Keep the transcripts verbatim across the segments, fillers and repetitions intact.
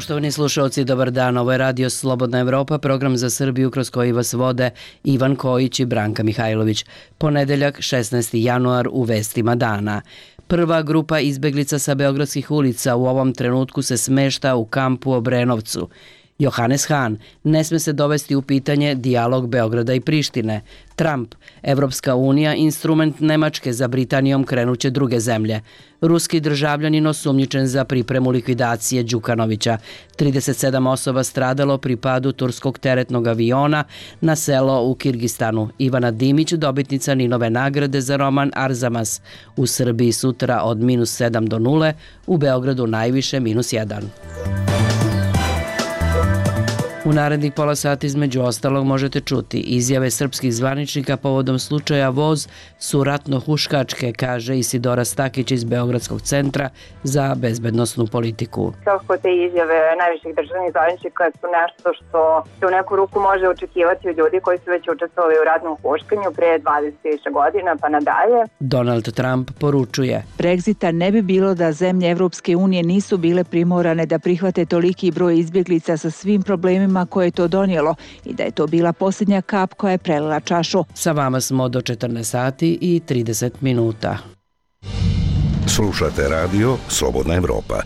Poštovani slušalci, dobar dan. Ovo je Radio Slobodna Evropa, program za Srbiju kroz koji vas vode Ivan Kojić i Branka Mihajlović. Ponedeljak, šesnaesti januar, u vestima dana. Prva grupa izbeglica sa beogradskih ulica u ovom trenutku se smešta u kampu u Obrenovcu. Johannes Hahn, ne sme se dovesti u pitanje dijalog Beograda i Prištine. Trump, Evropska unija, instrument Nemačke, za Britanijom krenuće druge zemlje. Ruski državljanin osumnjičen za pripremu likvidacije Đukanovića. trideset sedam osoba stradalo pri padu turskog teretnog aviona na selo u Kirgistanu. Ivana Dimić, dobitnica Ninove nagrade za roman Arzamas. U Srbiji sutra od minus sedam do nule, u Beogradu najviše minus jedan. U narednih pola sata između ostalog možete čuti izjave srpskih zvaničnika povodom slučaja Voz su ratno-huškačke, kaže Isidora Stakić iz Beogradskog centra za bezbednosnu politiku. Svakako te izjave najviših državnih zvaničnika su nešto što se u neku ruku može očekivati od ljudi koji su već učestvovali u ratnom huškanju pre dvadeset godina pa nadalje. Donald Trump poručuje: Brexita ne bi bilo da zemlje Evropske unije nisu bile primorane da prihvate toliki broj izbjeglica sa svim problemima koje je to donijelo i da je to bila posljednja kap koja je prelila čašu. Sa vama smo do četrnaest sati i trideset minuta. Slušate radio Slobodna Evropa.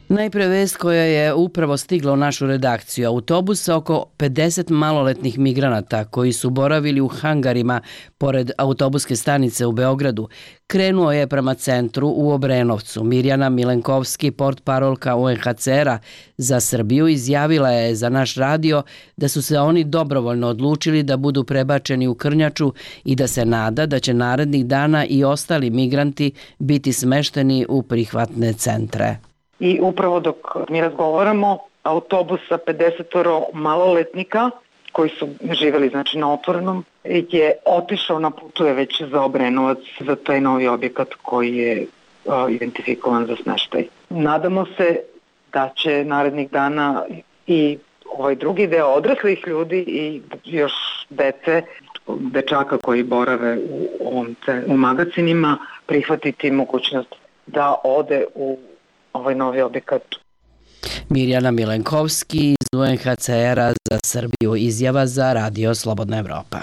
Najpre vest koja je upravo stigla u našu redakciju. Autobus sa oko pedeset maloletnih migranata koji su boravili u hangarima pored autobuske stanice u Beogradu krenuo je prema centru u Obrenovcu. Mirjana Milenkovski, portparolka U N H C R-a za Srbiju, izjavila je za naš radio da su se oni dobrovoljno odlučili da budu prebačeni u Krnjaču i da se nada da će narednih dana i ostali migranti biti smešteni u prihvatne centre. I upravo dok mi razgovaramo, autobus sa pedeset maloletnika koji su živjeli znači na otvorenom je otišao, na putu je već za Obrenovac, za taj novi objekat koji je uh, identifikovan za smeštaj. Nadamo se da će narednih dana i ovaj drugi deo odraslih ljudi i još dece, dečaka koji borave u, ovom, u magacinima, prihvatiti mogućnost da ode u ovaj novi objekat. Mirjana Milenkovski iz U N H C R-a za Srbiju, izjava za Radio Slobodna Evropa.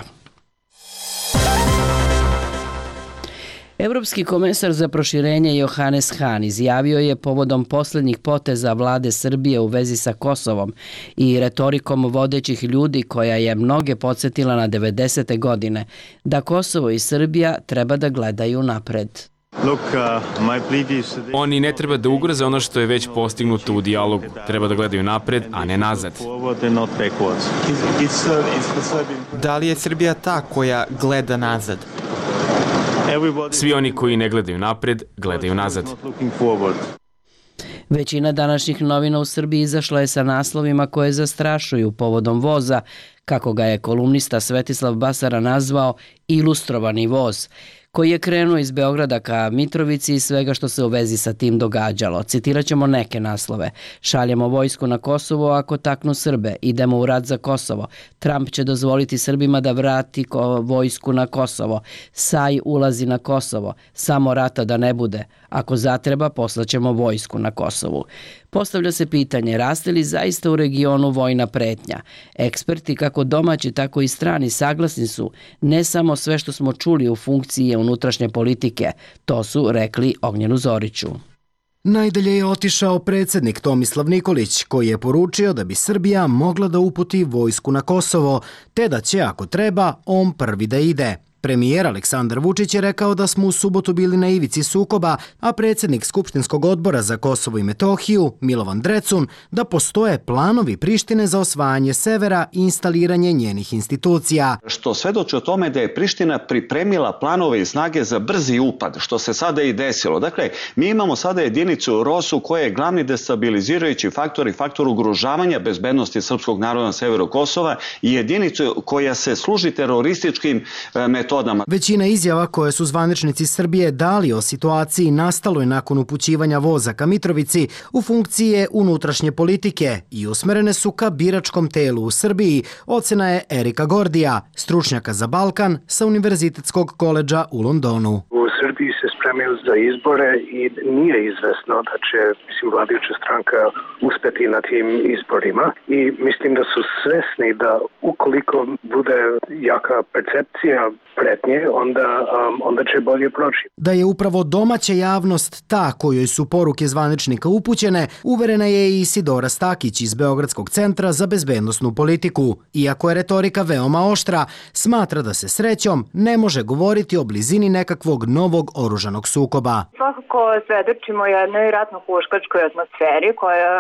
Evropski komesar za proširenje Johannes Hahn izjavio je povodom posljednjih poteza vlade Srbije u vezi sa Kosovom i retorikom vodećih ljudi koja je mnoge podsjetila na devedesete godine da Kosovo i Srbija treba da gledaju napred. Look, uh, my plea is... Oni ne treba da ugroze ono što je već postignuto u dijalogu. Treba da gledaju napred, a ne nazad. Da li je Srbija ta koja gleda nazad? Svi oni koji ne gledaju napred, gledaju nazad. Većina današnjih novina u Srbiji izašla je sa naslovima koje zastrašuju povodom voza, kako ga je kolumnista Svetislav Basara nazvao ilustrovani voz, koji je krenuo iz Beograda ka Mitrovici i svega što se u vezi sa tim događalo. Citirat ćemo neke naslove. Šaljemo vojsku na Kosovo ako taknu Srbe. Idemo u rat za Kosovo. Trump će dozvoliti Srbima da vrati vojsku na Kosovo. Saj ulazi na Kosovo. Samo rata da ne bude. Ako zatreba, poslaćemo vojsku na Kosovu. Postavlja se pitanje, raste li zaista u regionu vojna pretnja? Eksperti, kako domaći, tako i strani, saglasni su ne samo sve što smo čuli u funkciji unutrašnje politike. To su rekli Ognjenu Zoriću. Najdalje je otišao predsjednik Tomislav Nikolić, koji je poručio da bi Srbija mogla da uputi vojsku na Kosovo, te da će, ako treba, on prvi da ide. Premijer Aleksandar Vučić je rekao da smo u subotu bili na ivici sukoba, a predsjednik Skupštinskog odbora za Kosovo i Metohiju, Milovan Drecun, da postoje planovi Prištine za osvajanje severa i instaliranje njenih institucija. Što svedoči o tome da je Priština pripremila planove i snage za brzi upad, što se sada i desilo. Dakle, mi imamo sada jedinicu Rosu koja je glavni destabilizirajući faktor i faktor ugrožavanja bezbednosti srpskog naroda na severu Kosova i jedinicu koja se služi terorističkim metodama. Većina izjava koje su zvaničnici Srbije dali o situaciji nastaloj nakon upućivanja voza ka Mitrovici u funkciji je unutrašnje politike i usmerene su ka biračkom telu u Srbiji, ocena je Erika Gordija, stručnjaka za Balkan sa Univerzitetskog koledža u Londonu. U Srbiji Srbiji se spremaju za izbore i nije izvesno da će, mislim, vladajuća stranka uspeti na tim izborima i mislim da su svesni da ukoliko bude jaka percepcija pretnje, onda, um, onda će bolje proći. Da je upravo domaća javnost ta kojoj su poruke zvaničnika upućene, uverena je i Isidora Stakić iz Beogradskog centra za bezbednosnu politiku. Iako je retorika veoma oštra, smatra da se srećom ne može govoriti o blizini nekakvog novog oružanog sukoba. Svakako svedočimo jednoj ratno-huškačkoj atmosferi koja,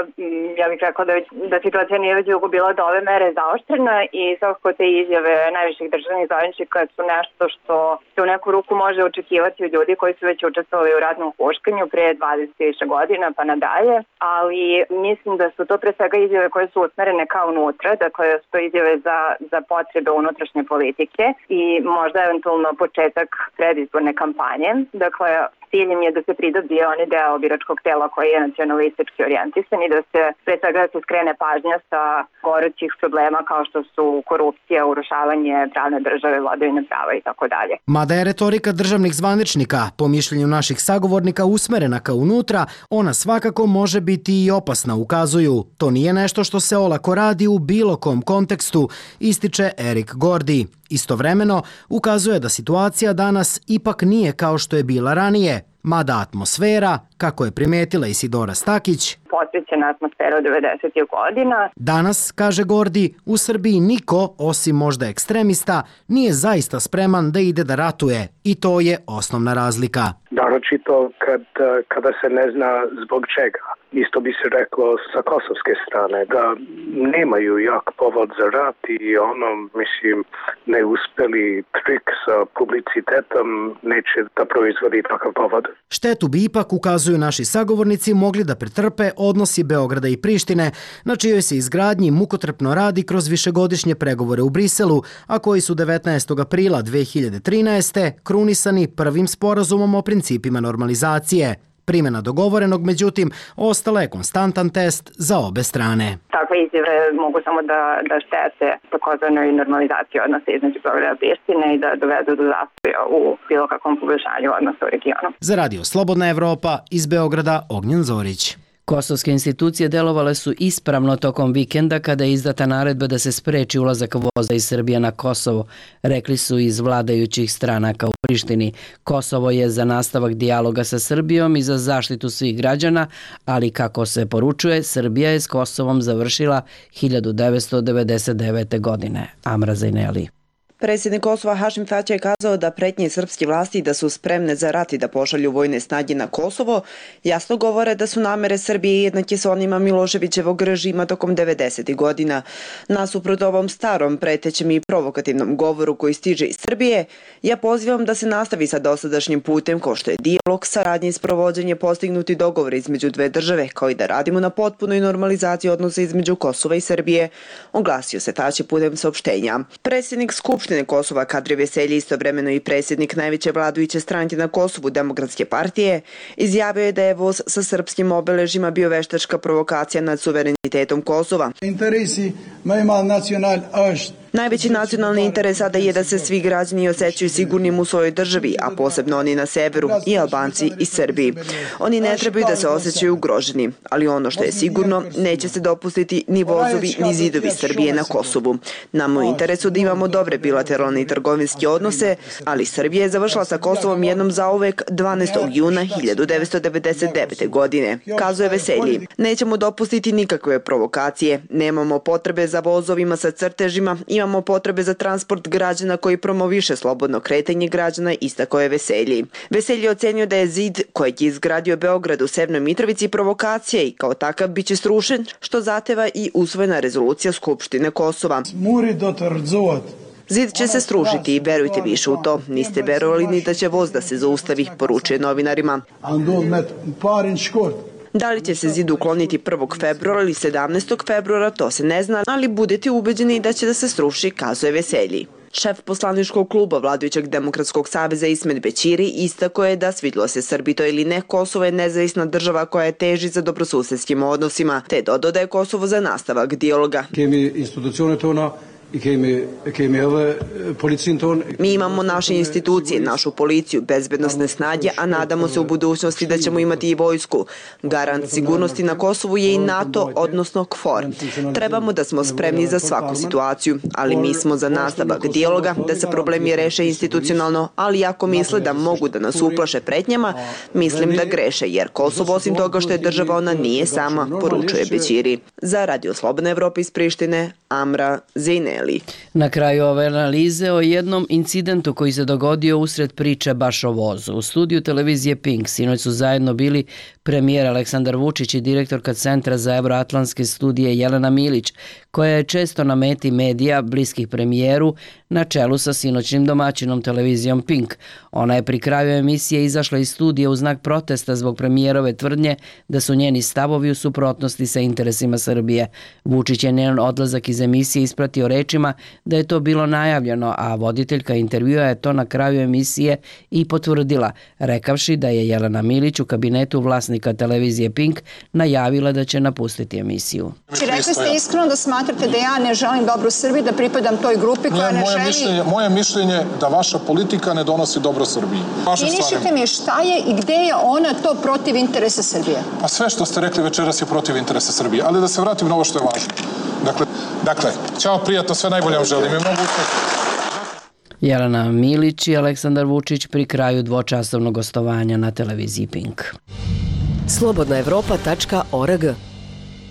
ja bih rekla da, da situacija nije već dugo bila do ove mere zaoštrena i svakako te izjave najviših državnih zvaničnika su nešto što se u neku ruku može očekivati od ljudi koji su već učestvovali u ratnom huškanju pre dvadeset i više godina pa nadalje, ali mislim da su to pre svega izjave koje su usmerene kao unutra, dakle su to izjave za, za potrebe unutrašnje politike i možda eventualno početak predizborne kampanje. Dakle, ciljem je da se pridobije onaj deo biračkog tela koji je nacionalistički orijentisan i da se pre svega da se skrene pažnja sa gorućih problema kao što su korupcija, urušavanje pravne države, vladavine prava i tako dalje. Mada je retorika državnih zvaničnika, po mišljenju naših sagovornika, usmerena ka unutra, ona svakako može biti i opasna, ukazuju. To nije nešto što se olako radi u bilo kom kontekstu, ističe Erik Gordi. Istovremeno, ukazuje da situacija danas ipak nije kao što je bila ranije, mada atmosfera, kako je primetila Isidora Stakić, posvećena atmosfera od devedesetih godina. Danas, kaže Gordi, u Srbiji niko, osim možda ekstremista, nije zaista spreman da ide da ratuje i to je osnovna razlika. Naročito kad, kada se ne zna zbog čega. Isto bi se reklo sa kosovske strane, da nemaju jak povod za rat i ono, mislim, neuspeli trik sa publicitetom neće da proizvodi takav povod. Štetu bi ipak, ukazuju naši sagovornici, mogli da pretrpe odnosi Beograda i Prištine, na čijoj se izgradnji mukotrpno radi kroz višegodišnje pregovore u Briselu, a koji su devetnaestog aprila dve hiljade trinaeste. krunisani prvim sporazumom o principima normalizacije. Primjena dogovorenog, međutim, ostala je konstantan test za obe strane. Takve izjave mogu samo da, da štete takozvanoj normalizaciji odnosa između Beograda i Prištine i da dovedu do zastoja u bilo kakvom poboljšanju odnosa u regionu. Za Radio Slobodna Evropa, iz Beograda, Ognjen Zorić. Kosovske institucije delovale su ispravno tokom vikenda kada je izdata naredba da se spreči ulazak voza iz Srbije na Kosovo, rekli su iz vladajućih stranaka u Prištini. Kosovo je za nastavak dijaloga sa Srbijom i za zaštitu svih građana, ali kako se poručuje, Srbija je s Kosovom završila hiljadu devetsto devedeset devete. godine. Amra Zajneli. Predsjednik Kosova Hašim Tači je kazao da pretnje srpske vlasti da su spremne za rat i da pošalju vojne snage na Kosovo jasno govore da su namere Srbije jednake sa onima Miloševićevog režima tokom devedesetih godina. Nasuprot ovom starom, pretećem i provokativnom govoru koji stiže iz Srbije, ja pozivam da se nastavi sa dosadašnjim putem kao što je dijalog, saradnje i sprovođenje postignuti dogovor između dve države, kao i da radimo na potpunoj normalizaciji odnosa između Kosova i Srbije, oglasio se Tači putem saopštenja. Predsjednik Skupštine Kosova Kadri Veselji, istovremeno i predsjednik najveće vladajuće stranke na Kosovu, Demokratske partije, izjavio je da je voz sa srpskim obeležima bio veštačka provokacija nad suverenitetom Kosova. Interesi maj nacional është Najveći nacionalni interes sada je da se svi građani osjećaju sigurnim u svojoj državi, a posebno oni na severu i Albanci i Srbiji. Oni ne trebaju da se osjećaju ugroženi, ali ono što je sigurno, neće se dopustiti ni vozovi ni zidovi Srbije na Kosovu. Nama u interesu da imamo dobre bilateralne i trgovinske odnose, ali Srbija je završila sa Kosovom jednom zauvek dvanaestog juna hiljadu devetsto devedeset devete. godine. Kazuje Veselji, nećemo dopustiti nikakve provokacije, nemamo potrebe za vozovima sa crtežima, imamo potrebe za transport građana koji promoviše slobodno kretanje građana, istakao je Veselji. Veselji je ocenio da je zid kojeg je izgradio Beograd u Severnoj Mitrovici provokacija i kao takav biće srušen, što zahteva i usvojena rezolucija Skupštine Kosova. Zid će se stružiti i verujte više u to. Niste verovali ni da će voz da se zaustavi, poručuje novinarima. Da li će se zid ukloniti prvog februara ili sedamnaestog februara, to se ne zna, ali budete ubeđeni da će da se sruši, kazuje Veselji. Šef poslaničkog kluba vladajućeg Demokratskog saveza Ismet Bećiri istakao je da svidlo se Srbiji to ili ne, Kosovo je nezavisna država koja je teži za dobrosusedskim odnosima, te dodao da je Kosovo za nastavak dijaloga. Kemi institucione tona Mi imamo naše institucije, našu policiju, bezbednosne snage, a nadamo se u budućnosti da ćemo imati i vojsku. Garant sigurnosti na Kosovu je i NATO, odnosno K F O R. Trebamo da smo spremni za svaku situaciju, ali mi smo za nastavak dijaloga, da se problemi reše institucionalno, ali ako misle da mogu da nas uplaše pretnjama, mislim da greše, jer Kosovo, osim toga što je država, ona nije sama, poručuje Bećiri. Za Radio Slobodna Evropa iz Prištine, Amra Zejneli. Na kraju ove analize o jednom incidentu koji se dogodio usred priče baš o vozu. U studiju televizije Pink sinoć su zajedno bili premijer Aleksandar Vučić i direktorka Centra za euroatlantske studije Jelena Milić, koja je često na meti medija bliskih premijeru na čelu sa sinoćnim domaćinom televizijom Pink. Ona je pri kraju emisije izašla iz studija u znak protesta zbog premijerove tvrdnje da su njeni stavovi u suprotnosti sa interesima Srbije. Vučić je njen odlazak iz emisije ispratio rečima da je to bilo najavljeno, a voditeljka intervjua je to na kraju emisije i potvrdila, rekavši da je Jelena Milić u kabinetu vlasnika televizije Pink najavila da će napustiti emisiju. Rekli ste iskreno da smatrate da ja ne želim dobro Srbiji, da pripadam toj grupi koja ne, ne želi... Mišljenje, moje mišljenje da vaša politika ne donosi dobro Srbiji. Finišite mi šta je i gde je ona to protiv interesa Srbije? Pa sve što ste rekli večeras je protiv interesa Srbije, ali da se vratim na ovo što je važno. Dakle, dakle, ćao prijatno, sve najbolje vam želim i mnogo uspjeha. Jelena Milić i Aleksandar Vučić pri kraju dvočasovnog gostovanja na televiziji Pink. slobodna evropa tačka org.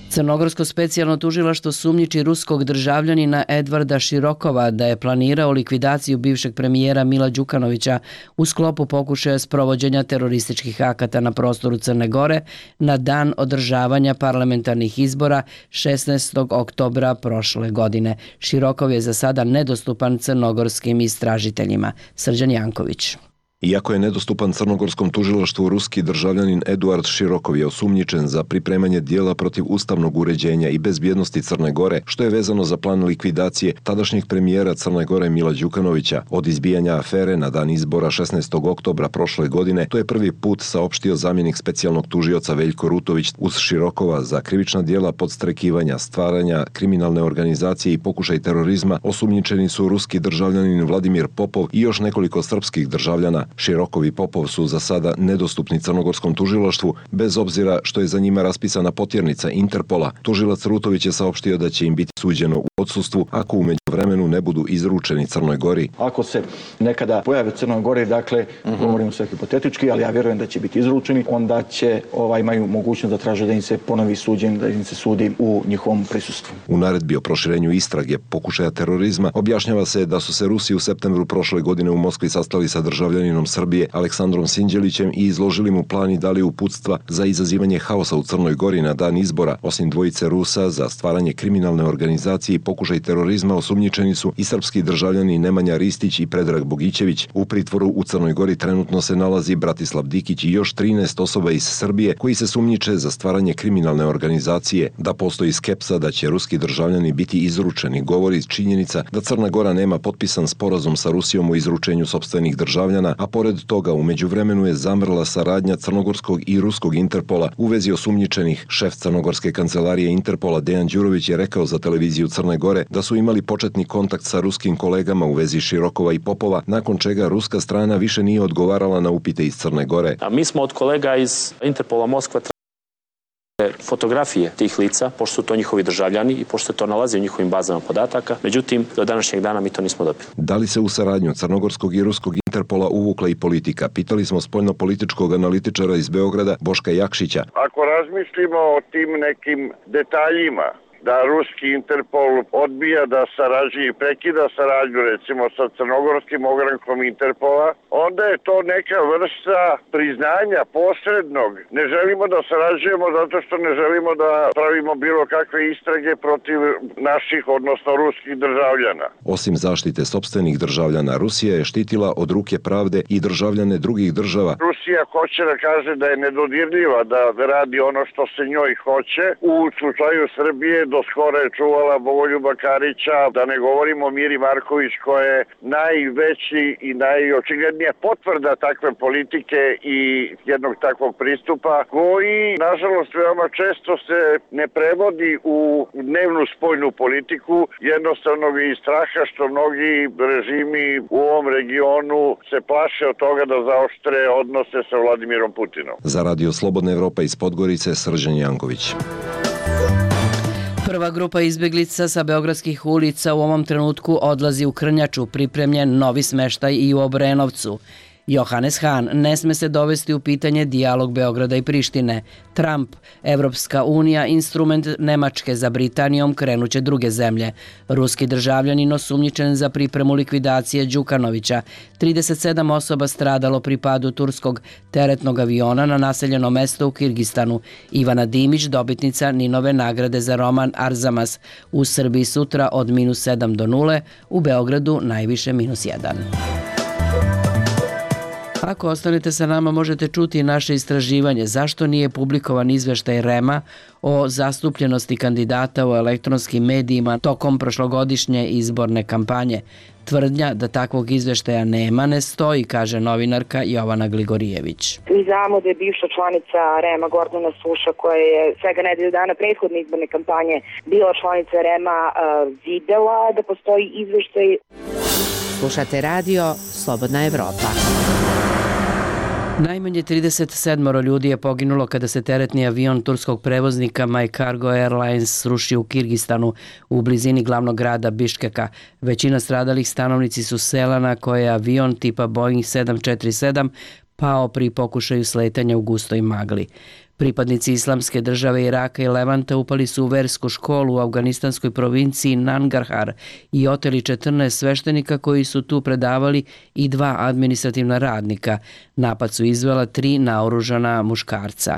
Crnogorsko specijalno tužilaštvo sumnjiči ruskog državljanina Edvarda Širokova da je planirao likvidaciju bivšeg premijera Mila Đukanovića u sklopu pokušaja sprovođenja terorističkih akata na prostoru Crne Gore na dan održavanja parlamentarnih izbora šesnaestog oktobra prošle godine. Širokov je za sada nedostupan crnogorskim istražiteljima. Srđan Janković. Iako je nedostupan crnogorskom tužilaštvu, ruski državljanin Eduard Širokov je osumnjičen za pripremanje dijela protiv ustavnog uređenja i bezbjednosti Crne Gore, što je vezano za plan likvidacije tadašnjeg premijera Crne Gore Mila Đukanovića. Od izbijanja afere na dan izbora šesnaestog oktobra prošle godine, to je prvi put saopštio zamjenik specijalnog tužioca Veljko Rutović. Uz Širokova za krivična dijela podstrekivanja, stvaranja kriminalne organizacije i pokušaj terorizma osumnjičeni su ruski državljanin Vladimir Popov i još nekoliko srpskih državljana. Širokov i Popov su za sada nedostupni crnogorskom tužilaštvu, bez obzira što je za njima raspisana potjernica Interpola. Tužilac Rutović je saopštio da će im biti suđeno u odsustvu ako u međuvremenu ne budu izručeni Crnoj Gori. Ako se nekada pojave u Crnoj Gori, dakle, uh-huh. govorimo sve hipotetički, ali ja vjerujem da će biti izručeni, onda će ovaj, imaju mogućnost da traže da im se ponovi suđen, da im se sudi u njihovom prisustvu. U naredbi o proširenju istrage pokušaja terorizma objašnjava se da su se Rusi u septembru prošle godine u Moskvi sastali sa državljaninom Srbije Aleksandrom Sinđelićem i izložili mu plan i dali uputstva za izazivanje haosa u Crnoj Gori na dan izbora. Osim dvojice Rusa za stvaranje kriminalne organizacije i pokušaj terorizma osumnjičeni su i srpski državljani Nemanja Ristić i Predrag Bogićević. U pritvoru u Crnoj Gori trenutno se nalazi Bratislav Dikić i još trinaest osoba iz Srbije koji se sumnjiče za stvaranje kriminalne organizacije. Da postoji skepsa da će ruski državljani biti izručeni govori činjenica da Crna Gora nema potpisan sporazum sa Rusijom o izručenju sopstvenih državljana, a pored toga u međuvremenu je zamrla saradnja crnogorskog i ruskog Interpola u vezi osumnjičenih. Šef crnogorske kancelarije Interpola Dejan Đurović je rekao za televiziju Crne Gore da su imali početni kontakt sa ruskim kolegama u vezi Širokova i Popova, nakon čega ruska strana više nije odgovarala na upite iz Crne Gore. A mi smo od kolega iz Interpola Moskva fotografije tih lica, pošto su to njihovi državljani i pošto se to nalazi u njihovim bazama podataka. Međutim, do današnjeg dana mi to nismo dobili. Da li se u saradnju crnogorskog i ruskog Interpola uvukla i politika? Pitali smo spoljnopolitičkog analitičara iz Beograda Boška Jakšića. Ako razmislimo o tim nekim detaljima, da ruski Interpol odbija da sarađuje i prekida saradnju recimo sa crnogorskim ogrankom Interpola, onda je to neka vrsta priznanja posrednog. Ne želimo da sarađujemo zato što ne želimo da pravimo bilo kakve istrage protiv naših, odnosno ruskih državljana. Osim zaštite sopstvenih državljana, Rusija je štitila od ruke pravde i državljane drugih država. Rusija hoće da kaže da je nedodirljiva, da radi ono što se njoj hoće. U slučaju Srbije do skoro je čuvala Bogoljuba Karića, da ne govorimo o Miri Marković koja je najveći i najočiglednija potvrda takve politike i jednog takvog pristupa koji, nažalost, veoma često se ne prevodi u dnevnu spoljnu politiku, jednostavno i straha što mnogi režimi u ovom regionu se plaše od toga da zaoštre odnose sa Vladimirom Putinom. Za Radio Slobodna Evropa iz Podgorice, Srđan Janković. Prva grupa izbjeglica sa beogradskih ulica u ovom trenutku odlazi u Krnjaču, pripremljen novi smeštaj i u Obrenovcu. Johannes Hahn, ne sme se dovesti u pitanje dijalog Beograda i Prištine. Trump, Evropska unija, instrument Nemačke za Britanijom, krenuće druge zemlje. Ruski državljanin osumnjičen za pripremu likvidacije Đukanovića. trideset sedam osoba stradalo pri padu turskog teretnog aviona na naseljeno mesto u Kirgistanu. Ivana Dimić, dobitnica Ninove nagrade za roman Arzamas. U Srbiji sutra od minus sedam do nule, u Beogradu najviše minus jedan. Ako ostanete sa nama, možete čuti naše istraživanje zašto nije publikovan izveštaj REM-a o zastupljenosti kandidata u elektronskim medijima tokom prošlogodišnje izborne kampanje. Tvrdnja da takvog izveštaja nema ne stoji, kaže novinarka Jovana Gligorijević. Mi znamo da je bivša članica REM-a Gordana Suša, koja je svega nedelju dana prethodne izborne kampanje bila članica REM-a, videla da postoji izveštaj. Slušate radio Slobodna Evropa. Najmanje trideset sedam ljudi je poginulo kada se teretni avion turskog prevoznika My Cargo Airlines srušio u Kirgistanu u blizini glavnog grada Biškeka. Većina stradalih stanovnici su sela na koje je avion tipa Boeing sedam četiri sedam pao pri pokušaju sletanja u gustoj magli. Pripadnici Islamske države Iraka i Levanta upali su u versku školu u afganistanskoj provinciji Nangarhar i oteli četrnaest sveštenika koji su tu predavali i dva administrativna radnika. Napad su izvela tri naoružana muškarca.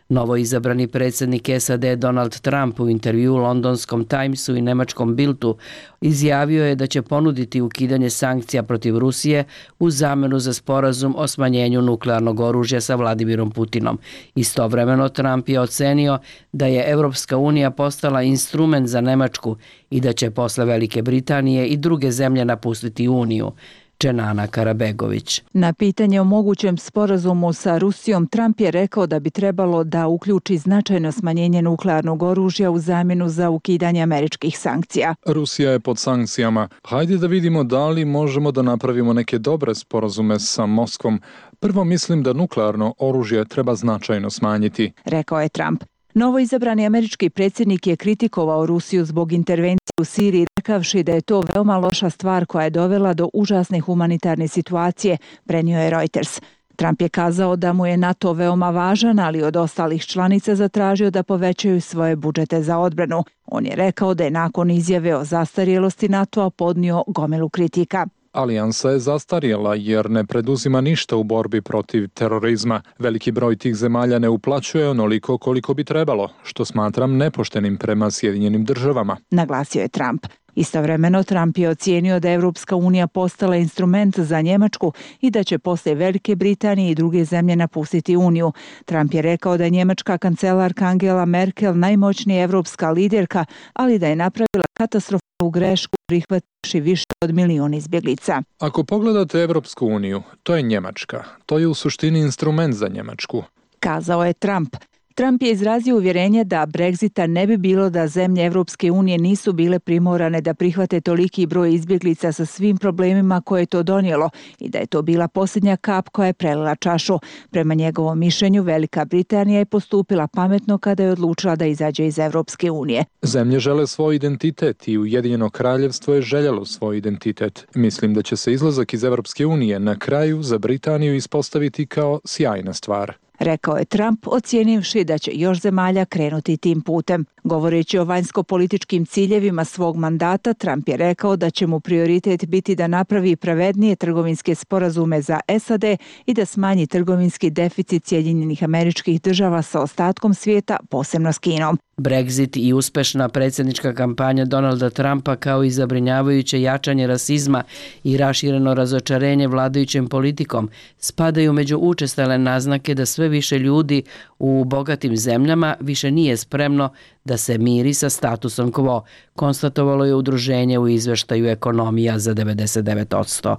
Novo izabrani predsjednik S A D Donald Trump u intervju u londonskom Timesu i nemačkom Bildu izjavio je da će ponuditi ukidanje sankcija protiv Rusije u zamenu za sporazum o smanjenju nuklearnog oružja sa Vladimirom Putinom. Istovremeno Trump je ocenio da je Evropska unija postala instrument za Nemačku i da će posle Velike Britanije i druge zemlje napustiti Uniju. Čenana Karabegović. Na pitanje o mogućem sporazumu sa Rusijom, Trump je rekao da bi trebalo da uključi značajno smanjenje nuklearnog oružja u zamjenu za ukidanje američkih sankcija. Rusija je pod sankcijama. Hajde da vidimo da li možemo da napravimo neke dobre sporazume sa Moskvom. Prvo mislim da nuklearno oružje treba značajno smanjiti, rekao je Trump. Novo izabrani američki predsjednik je kritikovao Rusiju zbog intervencije u Siriji, rekavši da je to veoma loša stvar koja je dovela do užasne humanitarne situacije, prenio je Reuters. Trump je kazao da mu je NATO veoma važan, ali od ostalih članica zatražio da povećaju svoje budžete za odbranu. On je rekao da je nakon izjave o zastarjelosti NATO-a podnio gomilu kritika. Alijansa je zastarjela jer ne preduzima ništa u borbi protiv terorizma. Veliki broj tih zemalja ne uplaćuje onoliko koliko bi trebalo, što smatram nepoštenim prema Sjedinjenim državama, naglasio je Trump. Istovremeno Trump je ocijenio da je Evropska unija postala instrument za Njemačku i da će posle Velike Britanije i druge zemlje napustiti Uniju. Trump je rekao da je njemačka kancelarka Angela Merkel najmoćnija evropska liderka, ali da je napravila katastrofalnu grešku prihvativši više od milion izbjeglica. Ako pogledate Evropsku uniju, to je Njemačka. To je u suštini instrument za Njemačku, kazao je Trump. Trump je izrazio uvjerenje da Brexita ne bi bilo da zemlje Evropske unije nisu bile primorane da prihvate toliki broj izbjeglica sa svim problemima koje je to donijelo i da je to bila posljednja kap koja je prelila čašu. Prema njegovom mišljenju, Velika Britanija je postupila pametno kada je odlučila da izađe iz Evropske unije. Zemlje žele svoj identitet i Ujedinjeno kraljevstvo je željelo svoj identitet. Mislim da će se izlazak iz Evropske unije na kraju za Britaniju ispostaviti kao sjajna stvar, rekao je Trump, ocijenivši da će još zemalja krenuti tim putem. Govoreći o vanjsko-političkim ciljevima svog mandata, Trump je rekao da će mu prioritet biti da napravi pravednije trgovinske sporazume za S A D i da smanji trgovinski deficit Sjedinjenih Američkih Država sa ostatkom svijeta, posebno s Kinom. Brexit i uspešna predsjednička kampanja Donalda Trumpa kao i zabrinjavajuće jačanje rasizma i rašireno razočarenje vladajućem politikom spadaju među učestale naznake da sve sve više ljudi u bogatim zemljama više nije spremno da se miri sa statusom quo, konstatovalo je udruženje u izveštaju Ekonomija za devedeset devet odsto.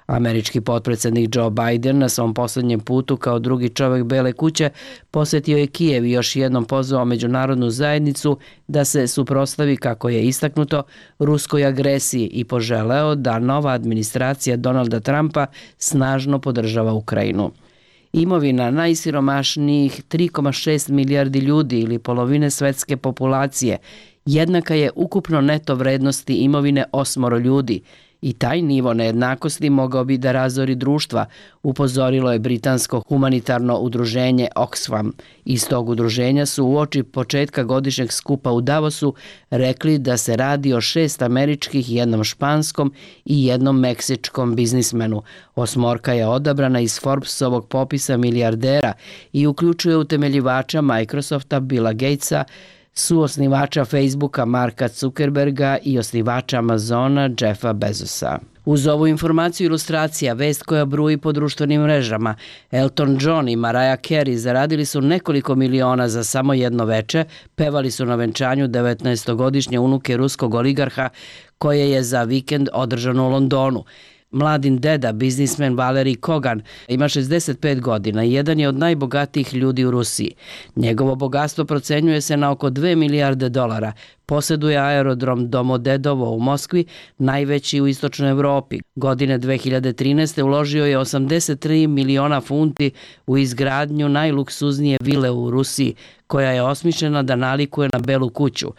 Američki potpredsjednik Joe Biden na svom posljednjem putu kao drugi čovjek Bele kuće posjetio je Kijev i još jednom pozvao međunarodnu zajednicu da se suprotstavi, kako je istaknuto, ruskoj agresiji i poželeo da nova administracija Donalda Trumpa snažno podržava Ukrajinu. Imovina najsiromašnijih tri zarez šest milijardi ljudi ili polovine svetske populacije jednaka je ukupno neto vrednosti imovine osmoro ljudi. I taj nivo nejednakosti mogao bi da razori društva, upozorilo je britansko humanitarno udruženje Oxfam. Iz tog udruženja su uoči početka godišnjeg skupa u Davosu rekli da se radi o šest američkih, jednom španskom i jednom meksičkom biznismenu. Osmorka je odabrana iz Forbesovog popisa milijardera i uključuje utemeljivača Microsofta Billa Gatesa, suosnivača Facebooka Marka Zuckerberga i osnivača Amazona Jeffa Bezosa. Uz ovu informaciju ilustracija, vest koja bruji po društvenim mrežama. Elton John i Mariah Carey zaradili su nekoliko miliona za samo jedno veče, pevali su na venčanju devetnaestogodišnje unuke ruskog oligarha koje je za vikend održano u Londonu. Mladin deda, biznismen Valerij Kogan, ima šezdeset pet godina i jedan je od najbogatijih ljudi u Rusiji. Njegovo bogatstvo procenjuje se na oko dve milijarde dolara. Posjeduje aerodrom Domodedovo u Moskvi, najveći u istočnoj Evropi. Godine dve hiljade trinaeste. uložio je osamdeset tri miliona funti u izgradnju najluksuznije vile u Rusiji, koja je osmišljena da nalikuje na Belu kuću.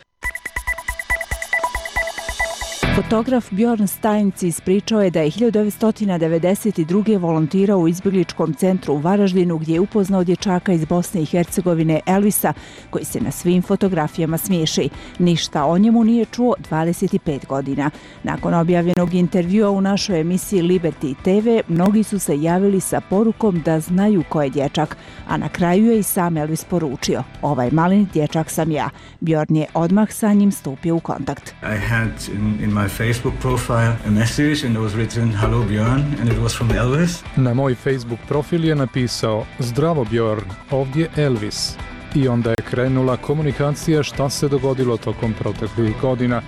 Fotograf Bjorn Steinci ispričao je da je hiljadu devetsto devedeset druge volontirao u izbjegličkom centru u Varaždinu, gdje je upoznao dječaka iz Bosne i Hercegovine Elvisa, koji se na svim fotografijama smiješi. Ništa o njemu nije čuo dvadeset pet godina. Nakon objavljenog intervjua u našoj emisiji Liberty te ve, mnogi su se javili sa porukom da znaju ko je dječak, a na kraju je i sam Elvis poručio: "Ovaj maleni dječak sam ja." Bjorn je odmah sa njim stupio u kontakt. I had in, in my Facebook profile a message and it was written "Hello Bjorn" and it was from Elvis. Na moj Facebook profil je napisao: "Zdravo Bjorn, ovdje Elvis." I onda je krenula komunikacija šta se dogodilo tokom proteklih godina.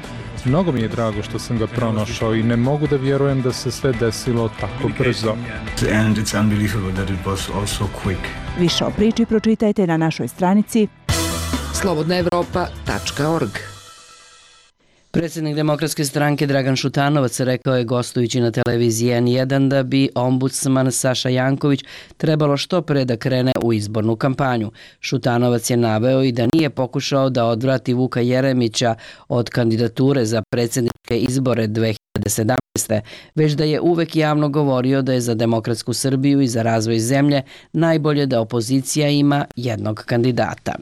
Mnogo mi je drago što sam ga pronašao i ne mogu da vjerujem da se sve desilo tako brzo. And it's unbelievable that it was also quick. Više o priči pročitajte na našoj stranici slobodna evropa tačka org. Predsjednik Demokratske stranke Dragan Šutanovac rekao je gostujući na televiziji en jedan da bi ombudsman Saša Janković trebalo što pre da krene u izbornu kampanju. Šutanovac je naveo i da nije pokušao da odvrati Vuka Jeremića od kandidature za predsjedničke izbore dve hiljade sedamnaeste. već da je uvek javno govorio da je za demokratsku Srbiju i za razvoj zemlje najbolje da opozicija ima jednog kandidata.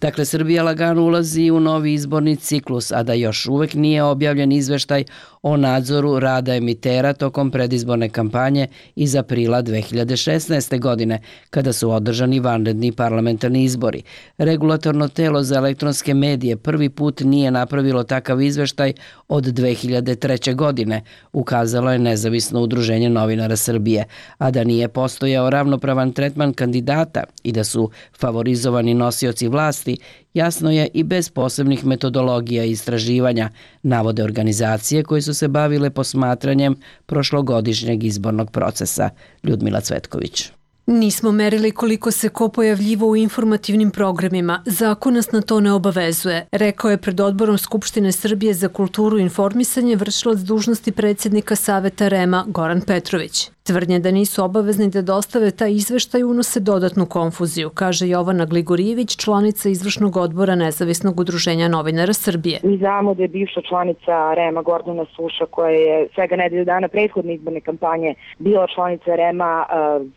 Dakle, Srbija lagano ulazi u novi izborni ciklus, a da još uvek nije objavljen izveštaj o nadzoru rada emitera tokom predizborne kampanje iz aprila dve hiljade šesnaeste. godine, kada su održani vanredni parlamentarni izbori. Regulatorno telo za elektronske medije prvi put nije napravilo takav izveštaj od dve hiljade treće. godine, ukazalo je nezavisno udruženje novinara Srbije, a da nije postojao ravnopravan tretman kandidata i da su favorizovani nosioci vlasti, jasno je i bez posebnih metodologija i istraživanja, navode organizacije koje su se bavile posmatranjem prošlogodišnjeg izbornog procesa. Ljudmila Cvetković. Nismo merili koliko se ko pojavljivo u informativnim programima. Zakon nas na to ne obavezuje, rekao je pred odborom Skupštine Srbije za kulturu i informisanje vršilac dužnosti predsjednika Saveta REM-a Goran Petrović. Tvrdnje da nisu obavezni da dostave taj izveštaj unose dodatnu konfuziju, kaže Jovana Gligorijević, članica izvršnog odbora Nezavisnog udruženja novinara Srbije. Mi znamo da je bivša članica REM-a Gordana Suša, koja je svega nedelju dana prethodne izborne kampanje bila članica REM-a,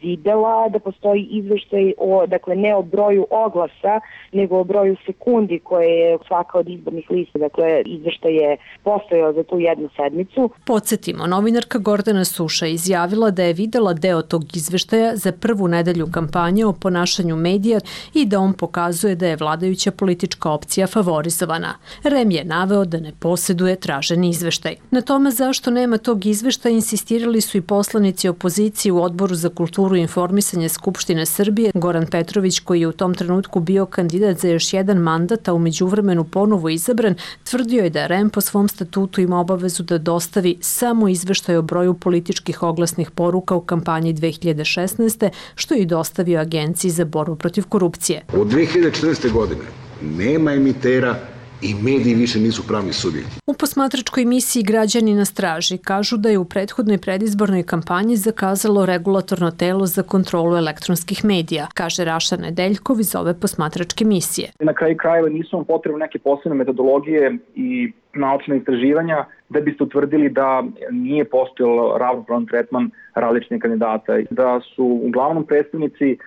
videla da postoji izveštaj o, dakle, ne o broju oglasa, nego o broju sekundi koje je svaka od izbornih lista. Dakle, izveštaj je postojao za tu jednu sedmicu. Podsjetimo, novinarka Gordana Suša izjavila da je videla deo tog izveštaja za prvu nedelju kampanje o ponašanju medija i da on pokazuje da je vladajuća politička opcija favorizovana. REM je naveo da ne posjeduje traženi izveštaj. Na tome zašto nema tog izveštaja insistirali su i poslanici opozicije u Odboru za kulturu i informisanje Skupštine Srbije. Goran Petrović, koji je u tom trenutku bio kandidat za još jedan mandat, a u međuvremenu ponovo izabran, tvrdio je da REM po svom statutu ima obavezu da dostavi samo izveštaj o broju političkih oglasnih poruka u kampanji dve hiljade šesnaeste. što je i dostavio Agenciji za borbu protiv korupcije. Od dve hiljade četrnaeste. godine nema emitera i mediji više nisu pravni subjekti. U posmatračkoj misiji Građani na straži kažu da je u prethodnoj predizbornoj kampanji zakazalo regulatorno telo za kontrolu elektronskih medija, kaže Raša Nedeljkov iz ove posmatračke misije. Na kraju krajeva nisu vam potrebne neke posebne metodologije i naučne istraživanja da biste utvrdili da nije postojalo ravnopravan tretman različitih kandidata, da su uglavnom predstavnici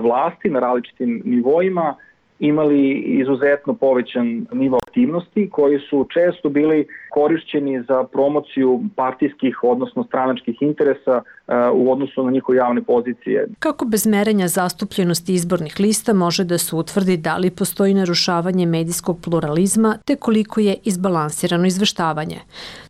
vlasti na različitim nivoima imali izuzetno povećan nivo aktivnosti koji su često bili korišćeni za promociju partijskih, odnosno stranačkih interesa u odnosu na njihove javne pozicije. Kako bez merenja zastupljenosti izbornih lista može da se utvrdi da li postoji narušavanje medijskog pluralizma te koliko je izbalansirano izveštavanje?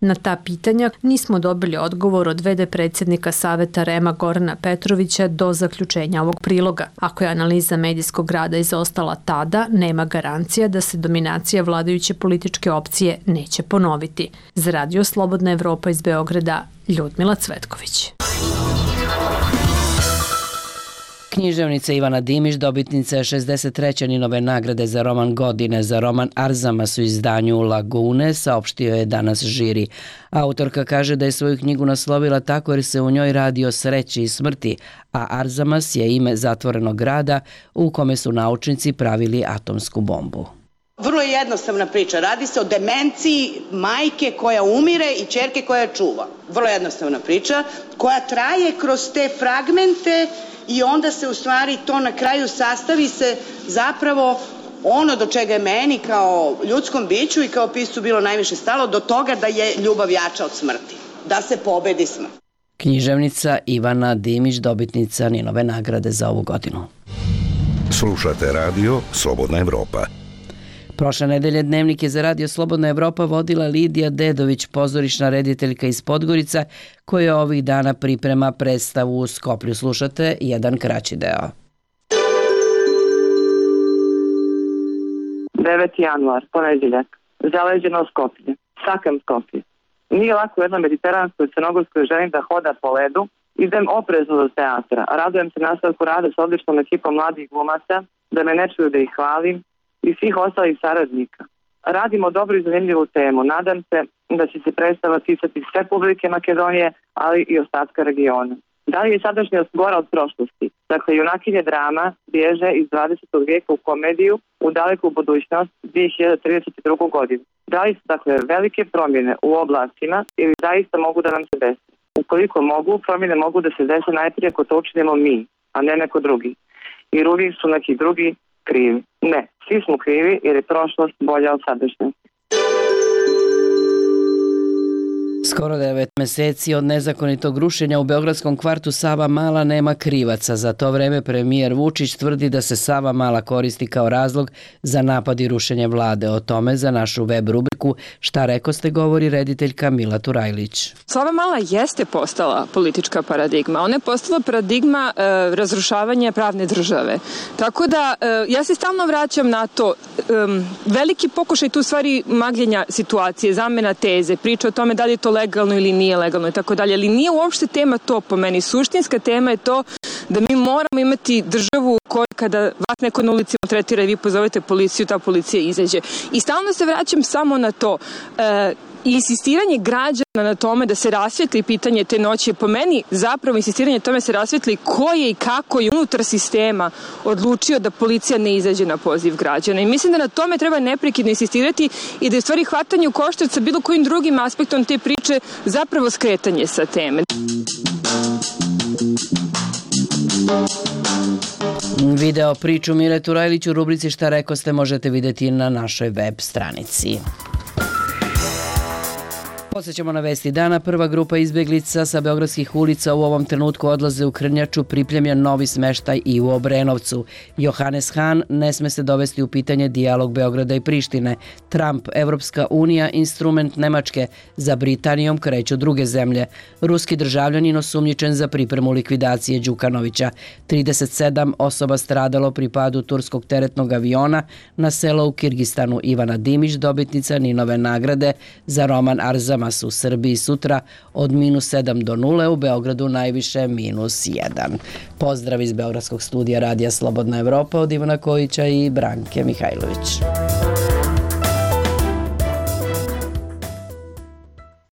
Na ta pitanja nismo dobili odgovor od ve de predsjednika Saveta REM-a Gorana Petrovića do zaključenja ovog priloga. Ako je analiza medijskog rada izostala tada, nema garancija da se dominacija vladajuće političke opcije neće ponoviti. Za Radio Slobodna Evropa iz Beograda, Ljudmila Cvetković. Književnica Ivana Dimić, dobitnica je šezdeset treće Ninove nagrade za roman godine za roman Arzamas u izdanju Lagune, saopštio je danas žiri. Autorka kaže da je svoju knjigu naslovila tako jer se u njoj radi o sreći i smrti, a Arzamas je ime zatvorenog grada u kome su naučnici pravili atomsku bombu. Vrlo je jednostavna priča. Radi se o demenciji majke koja umire i ćerke koja čuva. Vrlo jednostavna priča koja traje kroz te fragmente i onda se u stvari to na kraju sastavi se zapravo ono do čega je meni kao ljudskom biću i kao piscu bilo najviše stalo, do toga da je ljubav jača od smrti. Da se pobedi smrt. Književnica Ivana Dimić, dobitnica Ninove nagrade za ovu godinu. Slušate radio Slobodna Evropa. Prošle nedelje Dnevnik je za Radio Slobodna Evropa vodila Lidija Dedović, pozorišna rediteljka iz Podgorica, koja ovih dana priprema predstavu u Skoplju. Slušate jedan kraći deo. deveti januar, ponedeljak, zaleđeno Skoplje, sakam Skoplje. Nije lako u jednoj mediteranskoj crnogorskoj ženi da hoda po ledu, idem oprezno do teatra, a radujem se nastavku rada s odličnom ekipom mladih glumaca, da me ne čuju da ih hvalim, i svih ostalih saradnika. Radimo dobro i zanimljivu temu. Nadam se da će se predstava ticati sve publike Makedonije, ali i ostatka regiona. Da li je sadašnjost gora od prošlosti? Dakle, junakinje drama bježe iz dvadesetog vijeka u komediju u daleku budućnost dvije hiljade trideset druge. godinu. Da li su dakle velike promjene u oblastima ili zaista mogu da nam se desi? Ukoliko mogu, promjene mogu da se dese najprije ako to učinimo mi, a ne neko drugi. Jer uvijek su neki drugi krivi. Ne, svi smo krivi jer je prošlost bolja od sadašnjosti. Skoro devet meseci od nezakonitog rušenja u beogradskom kvartu Sava Mala nema krivaca. Za to vreme premijer Vučić tvrdi da se Sava Mala koristi kao razlog za napad i rušenje vlade. O tome za našu web rubriku Šta rekoste govori rediteljka Mila Turajlić. Sava Mala jeste postala politička paradigma. Ona je postala paradigma e, razrušavanja pravne države. Tako da e, ja se stalno vraćam na to. E, veliki pokušaj tu stvari magljenja situacije, zamena teze, priča o tome da li je to legalno ili nije legalno i tako dalje, ali nije uopšte tema to po meni. Suštinska tema je to da mi moramo imati državu koja kada vas neko na ulici tretira i vi pozovete policiju, ta policija izađe. I stalno se vraćam samo na to. E, insistiranje građana na tome da se rasvetli pitanje te noći je po meni zapravo insistiranje na tome se rasvetli ko je i kako je unutar sistema odlučio da policija ne izađe na poziv građana. I mislim da na tome treba neprekidno insistirati i da je u stvari hvatanje u koštac sa bilo kojim drugim aspektom te priče zapravo skretanje sa teme. Video priču Mile Turajlić u rubrici Šta rekoste možete vidjeti na našoj web stranici. Posjećamo na vesti dana. Prva grupa izbjeglica sa beogradskih ulica u ovom trenutku odlaze u Krnjaču, pripremljen novi smeštaj i u Obrenovcu. Johannes Hahn ne sme se dovesti u pitanje dijalog Beograda i Prištine. Trump, Evropska unija, instrument Nemačke. Za Britanijom kreću druge zemlje. Ruski državljanin osumnjičen za pripremu likvidacije Đukanovića. trideset sedam osoba stradalo pri padu turskog teretnog aviona na selo u Kirgistanu. Ivana Dimić, dobitnica Ninove nagrade za roman Arzam u Srbiji sutra od minus sedam do nule, u Beogradu najviše minus jedan. Pozdrav iz Beogradskog studija Radija Slobodna Evropa od Ivana Kojića i Branke Mihajlović.